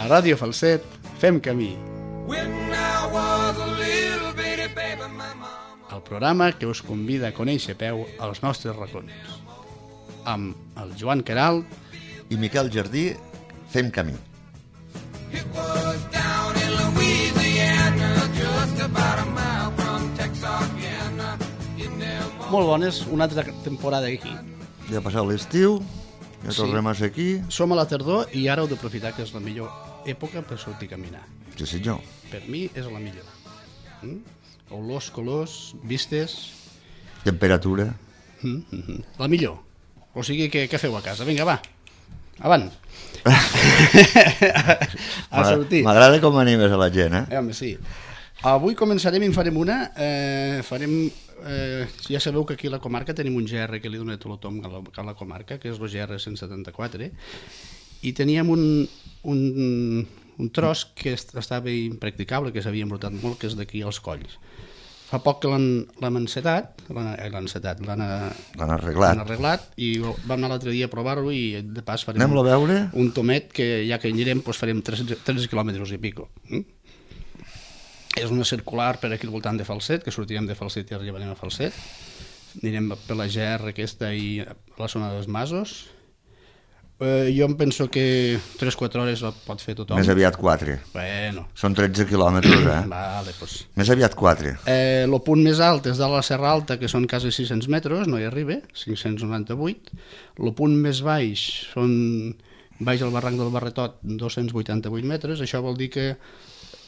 A Ràdio Falset fem camí. El programa que us convida a conèixer a peu els nostres racons. Amb el Joan Queralt i Miquel Jardí fem camí. Molt bones, una altra temporada aquí. Ja ha passat l'estiu, ja tornem a ser aquí. Som a la tardor i ara heu d'aprofitar que és la millor època per sortir a caminar. Sí, senyor. Per mi és la millor. Olors, colors, vistes... Temperatura. La millor. O sigui, què feu a casa? Vinga, va. Avant. A sortir. M'agrada com animes a la gent, eh? Home, sí. Avui començarem i en farem una. Ja sabeu que aquí a la comarca tenim un GR que li dona tot el tom a la comarca, que és el GR 174, i teníem un tros que estava impracticable, que s'havia embrutat molt, que és d'aquí als Colls. Fa poc que l'han encetat, l'han arreglat, i vam anar l'altre dia a provar-ho i de pas farem un tomet que ja que anirem farem 3 quilòmetres i pico. És una circular per aquí al voltant de Falset, que sortirem de Falset i arribarem a Falset. Anirem per la GR aquesta i a la zona dels Masos. Jo em penso que 3-4 hores la pot fer tothom. Més aviat 4. Bueno. Són 13 quilòmetres, Vale, doncs. Més aviat 4. El punt més alt és de la Serra Alta, que són quasi 600 metres, no hi arriba, 598. El punt més baix són baix al barranc del Barretot, 288 metres. Això vol dir que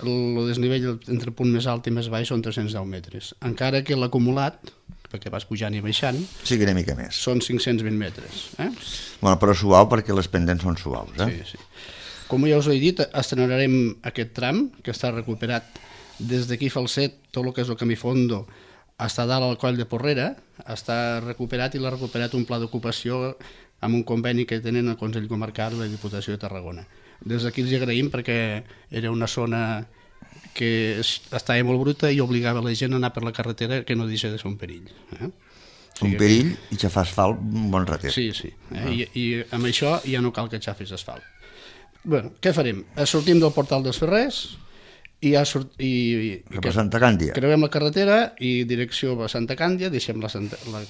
el desnivell entre el punt més alt i més baix són 310 metres. Encara que l'acumulat, perquè vas pujant i baixant, sigui una mica més. Són 520 metres. Bueno, però suau perquè les pendents són suaus. Sí. Com ja us he dit, estrenarem aquest tram, que està recuperat des d'aquí Falset, tot el que és el camí Fondo, està dalt al coll de Porrera, està recuperat i l'ha recuperat un pla d'ocupació amb un conveni que tenen el Consell Comarcal i la Diputació de Tarragona. Des d'aquí els agraïm perquè era una zona que estava molt bruta i obligava la gent a anar per la carretera, que no deixa de ser un perill. Un perill i xafar asfalt un bon ratet. Sí. I amb això ja no cal que xafis asfalt. Bé, què farem? Sortim del portal dels Ferrers i cap a Santa Càndia. Creuem la carretera i direcció a Santa Càndia, deixem la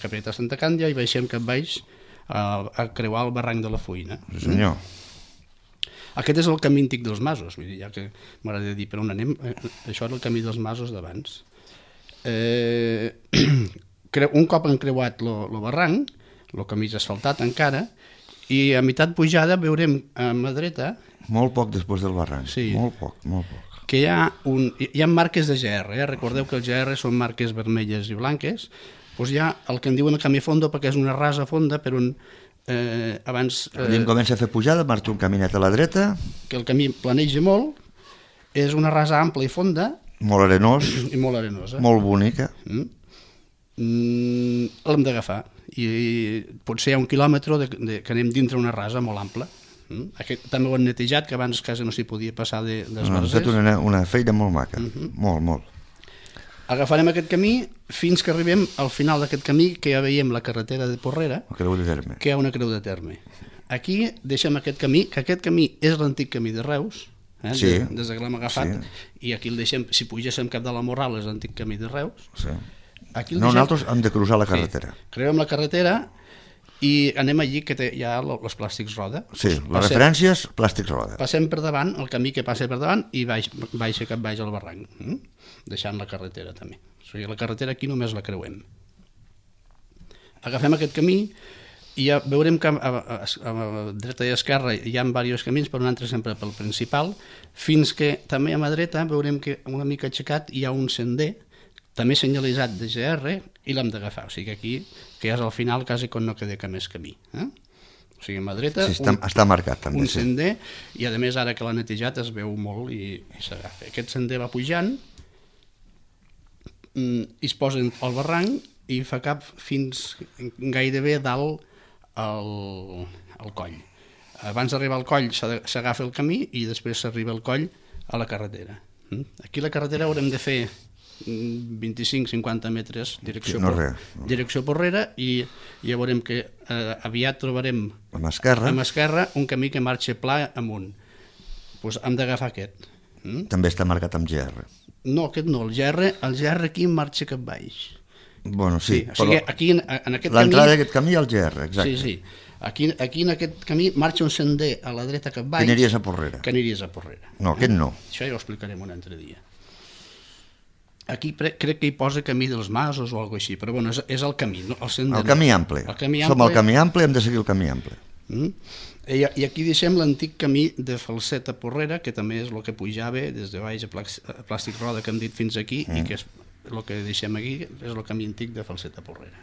capelleta a Santa Càndia i baixem cap baix a creuar el barranc de la Fuïna. Sí, senyor. Aquest és el camí antic dels Masos, vull dir, ja que m'agrada dir per on anem, això era el camí dels Masos d'abans. Un cop han creuat el barranc, el camí és asfaltat encara, i a meitat pujada veurem a mà dreta... Molt poc després del barranc, sí, molt poc. Que hi ha marques de GR, recordeu que el GR són marques vermelles i blanques, doncs hi ha el que en diuen el camí Fondo perquè és una rasa fonda per on... abans comença a fer pujada, marxa un caminet a la dreta, que el camí planeja molt, és una rasa ampla i fonda, molt arenós i molt arenosa, molt bonica. L'hem d'agafar i potser hi ha 1 quilòmetre que anem dintre una rasa molt ampla. També ho han netejat, que abans quasi no s'hi podia passar d'esbarzers. Han fet una feina molt maca, molt. Agafarem aquest camí fins que arribem al final d'aquest camí, que ja veiem la carretera de Porrera, que hi ha una creu de terme. Aquí deixem aquest camí, que aquest camí és l'antic camí de Reus, des que l'hem agafat, i aquí el deixem, si pugéssim cap de la Morral és l'antic camí de Reus. Nosaltres hem de cruzar la carretera. Creuem la carretera i anem allí que hi ha els plàstics roda. Sí, les referències, plàstics roda. Passem per davant, el camí que passa per davant, i baixa cap baix al barranc, deixant la carretera també. O sigui, la carretera aquí només la creuem. Agafem aquest camí i ja veurem que a dreta i a esquerra hi ha diversos camins, però un altre sempre pel principal, fins que també a mà dreta veurem que una mica aixecat hi ha un sender, també senyalitzat de GR, i l'hem d'agafar. O sigui, aquí, que ja és al final, quasi quan no queda més camí. O sigui, a mà dreta, està marcat, també, un sender, i a més ara que l'ha netejat es veu molt i s'agafa. Aquest sender va pujant, i es posa al barranc i fa cap fins gairebé dalt al coll. Abans d'arribar al coll s'agafa el camí i després s'arriba al coll a la carretera. Aquí a la carretera haurem de fer 25-50 metres direcció Porrera i ja veurem que aviat trobarem amb esquerra un camí que marxa pla amunt. doncs hem d'agafar aquest. També està marcat amb GR. No, aquest no, el GR aquí marxa cap baix. Bueno, sí, o sigui, aquí en aquest camí... L'entrada d'aquest camí al GR, exacte. Sí. Aquí en aquest camí marxa un sender a la dreta cap baix... Que aniries a Porrera. No, aquest no. Això ja ho explicarem un altre dia. Aquí crec que hi posa camí dels masos o alguna així, però bueno, és el camí, no? El camí ample. Som al camí ample, hem de seguir el camí ample. I aquí deixem l'antic camí de Falset a Porrera, que també és el que pujava des de baix a Plàstic Roda, que hem dit fins aquí, i que és el que deixem aquí, és el camí antic de Falset a Porrera.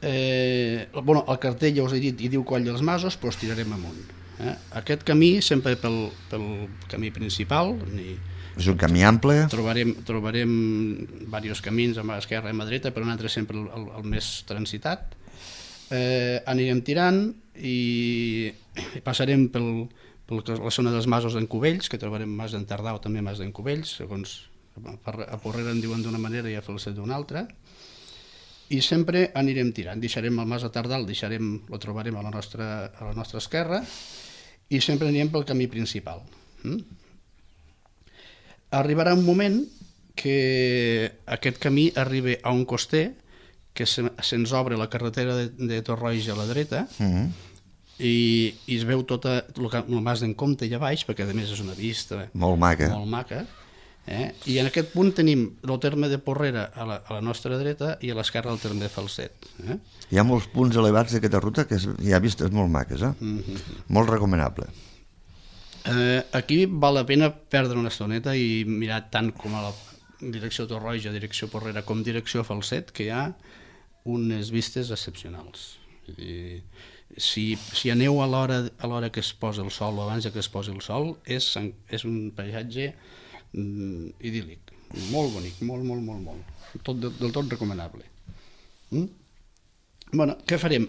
El cartell ja us he dit i diu Coll dels Masos, però tirarem amunt. Aquest camí sempre pel camí principal, és un camí ample. Trobarem diversos camins a mà esquerra i a mà dreta, però nosaltres sempre el més transitat. Anirem tirant i passarem per la zona dels masos d'en Cubells, que trobarem mas d'en Tardà o també mas d'en Cubells, segons a Porrera en diuen d'una manera i a Falset d'una altra, i sempre anirem tirant. Deixarem el mas de Tardà, lo trobarem a la nostra esquerra, i sempre anirem pel camí principal. Arribarà un moment que aquest camí arriba a un coster que se'ns obre la carretera de Torroja a la dreta i es veu tot el mas d'en Comte allà baix, perquè a més és una vista molt maca. I en aquest punt tenim el terme de Porrera a la nostra dreta i a l'esquerra el terme de Falset. Hi ha molts punts elevats d'aquesta ruta que hi ha vistes molt maques, molt recomanable. Aquí val la pena perdre una estoneta i mirar tant com a la direcció Torroja, direcció Porrera, com direcció Falset, que hi ha unes vistes excepcionals. Si aneu a l'hora que es posa el sol o abans que es posi el sol, és un paisatge idíl·lic, molt bonic, molt, del tot recomanable. Bueno, què farem?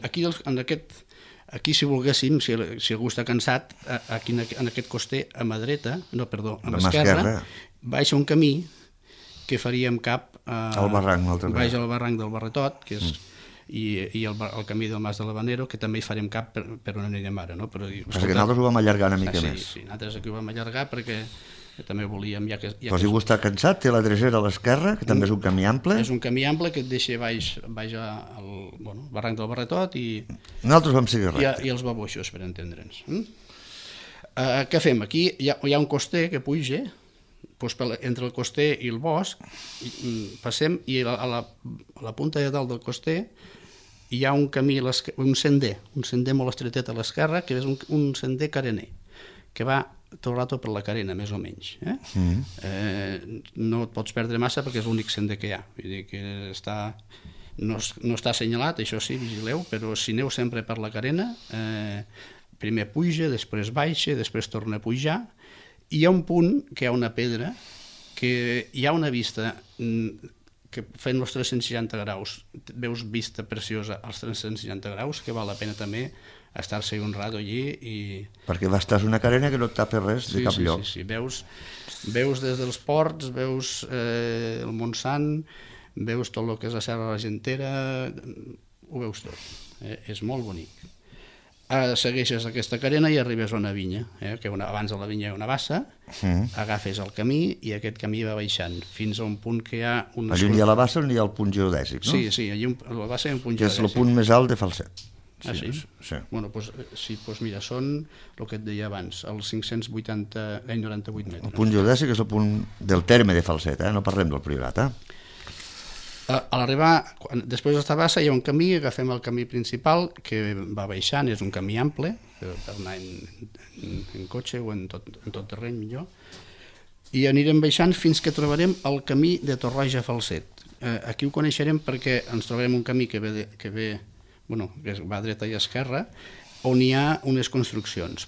Aquí si volguéssim, si algú està cansat, aquí en aquest coster a mà dreta, a l'esquerra, baixa un camí que faríem cap al barranc, baix al barranc del Barretot, que és i el camí del Mas de l'Habanero, que també hi farem cap per on anirem ara, no? Però que nosaltres ho vam allargar una mica més. Sí, nosaltres aquí ho vam allargar perquè també volíem... Però si algú està cansat, té la dresera a l'esquerra, que també és un camí ample. És un camí ample que et deixa baix al barranc del Barretot i... Nosaltres vam seguir recte. I els baboixos, per entendre'ns. Què fem? Aquí hi ha un coster que puja, entre el coster i el bosc, passem i a la punta de dalt del coster hi ha un camí, un sender molt estretet a l'esquerra, que és un sender carener, que va tot el rato per la carena, més o menys. No et pots perdre massa perquè és l'únic sender que hi ha. Vull dir que no està assenyalat, això sí, vigileu, però si aneu sempre per la carena, primer puja, després baixa, després torna a pujar, i hi ha un punt que hi ha una pedra, que hi ha una vista que fent els 360 graus, veus vista preciosa als 360 graus, que val la pena també estar-se un rato allí. Perquè va estar una carena que no et tapa res de cap lloc. Sí, veus des dels ports, veus el Montsant, veus tot el que és la Serra de l'Argentera, ho veus tot. És molt bonic. Segueixes aquesta carena i arribes a una vinya, que abans de la vinya hi ha una bassa, agafes el camí i aquest camí va baixant fins a un punt que hi ha... Allà on hi ha la bassa on hi ha el punt geodèsic, no? Sí, allà a la bassa hi ha un punt geodèsic. Que és el punt més alt de Falset. Sí? Bueno, doncs mira, són el que et deia abans, els 598 metres. El punt geodèsic és el punt del terme de Falset, no parlem del Priorat, A l'arribar, després d'esta bassa hi ha un camí, agafem el camí principal que va baixant, és un camí ample per anar en cotxe o en tot terreny millor, i anirem baixant fins que trobarem el camí de Torroja a Falset. Aquí ho coneixerem perquè ens trobarem un camí que va a dreta i a esquerra, on hi ha unes construccions,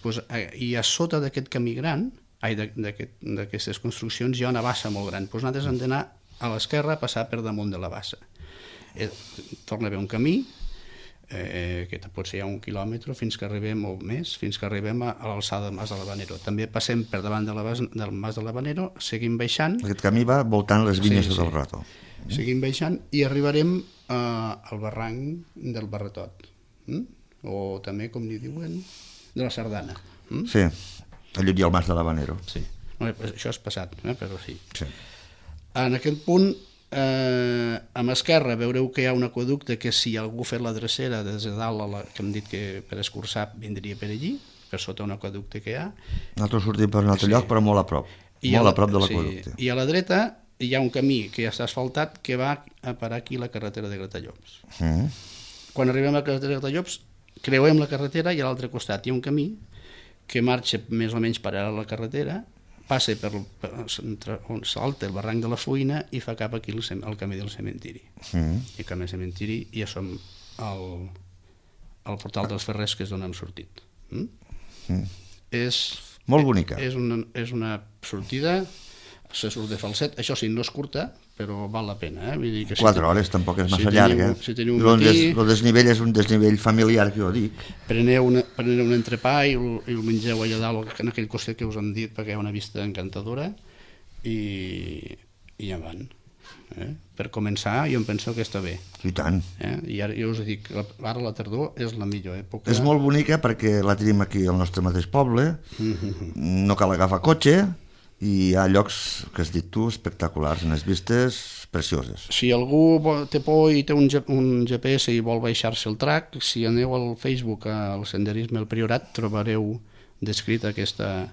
i a sota d'aquest camí gran, d'aquestes construccions, hi ha una bassa molt gran. Nosaltres hem d'anar a l'esquerra, passar per damunt de la bassa. Torna a haver un camí, que potser hi ha 1 quilòmetre, fins que arribem, o més, fins que arribem a l'alçada del Mas de l'Habanero. També passem per davant del Mas de l'Habanero, seguim baixant... Aquest camí va voltant les vinyes del Rato. Seguim baixant i arribarem al barranc del Barretot, o també, com n'hi diuen, de la Sardana. Sí, allò hi ha el Mas de l'Habanero. Sí. No, això és passat, però sí. Sí. En aquest punt, a mà esquerra veureu que hi ha un aqüeducte que si algú fet la drecera des de dalt, que hem dit que per escurçar vindria per allí, per sota un aqüeducte que hi ha. Nosaltres sortim per un altre lloc, però molt a prop. Molt a prop de l'aqüeducte. I a la dreta hi ha un camí que ja està asfaltat que va a parar aquí la carretera de Gratallops. Quan arribem a la carretera de Gratallops, creuem la carretera i a l'altre costat hi ha un camí que marxa més o menys paral·lel a la carretera, passa per on salta el barranc de la Fuina i fa cap aquí el camí del cementiri. I camí del cementiri ja som al portal dels Ferrers, que és d'on hem sortit. És molt bonica. És una sortida, se surt de falset, això sí, no és curta, però val la pena. Vull dir que 4 hores tampoc és massa llarga. Si teniu un matí... El desnivell és un desnivell familiar, que jo dic. Preneu un entrepà i el mengeu allà dalt, en aquell costat que us hem dit, perquè hi ha una vista encantadora, i ja van. Per començar, jo em penso que està bé. I tant. I ara jo us dic, ara la tardor és la millor època. És molt bonica perquè la tenim aquí al nostre mateix poble, no cal agafar cotxe, i hi ha llocs, que has dit tu, espectaculars, unes vistes precioses. Si algú té por i té un GPS i vol baixar-se el track, si aneu al Facebook al Senderisme al Priorat, trobareu descrita aquesta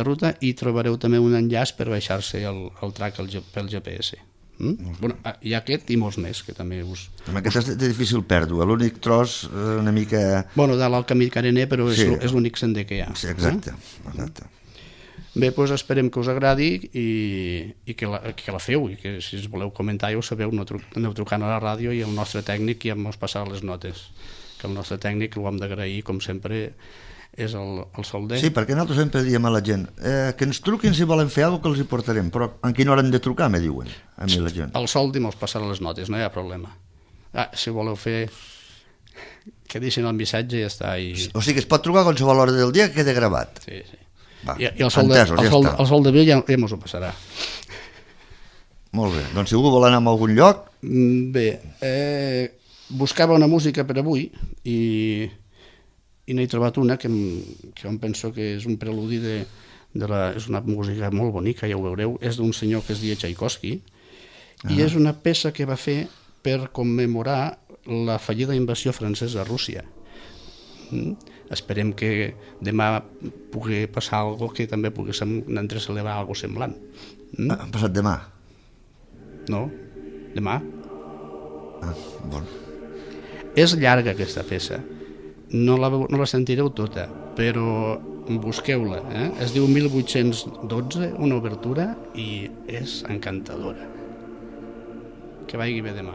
ruta i trobareu també un enllaç per baixar-se el track pel GPS. Hi ha aquest i molts més que també us... Aquest és de difícil pèrdua, l'únic tros una mica... Dalt al camí carener, però és l'únic sender que hi ha. Sí, exacte. Bé, doncs esperem que us agradi i que la feu, i que si us voleu comentar ja ho sabeu, aneu trucant a la ràdio i el nostre tècnic ja ens passarà les notes, que el nostre tècnic ho hem d'agrair, com sempre, és el Solder. Sí, perquè nosaltres sempre diem a la gent que ens truquin si volen fer alguna cosa que els hi portarem, però en quina hora hem de trucar, me diuen a mi la gent. El Soldi mos passarà les notes, no hi ha problema. Si voleu fer, que deixin el missatge i ja està. O sigui que es pot trucar a qualsevol hora del dia que quede gravat. Sí, sí. Va, I el Sol de Vell ja mos ho passarà. Molt bé, doncs si algú vol anar a algun lloc... Bé, buscava una música per avui i n'he trobat una que em penso que és un preludi és una música molt bonica, ja ho veureu, és d'un senyor que es diu Tchaikovsky i és una peça que va fer per commemorar la fallida invasió francesa a Rússia. Esperem que demà pugui passar alguna cosa que també pugui celebrar alguna cosa semblant. Ha passat demà? No, demà. Bon. És llarga aquesta peça, no la sentireu tota, però busqueu-la. Es diu 1812, una obertura, i és encantadora. Que vagi bé demà.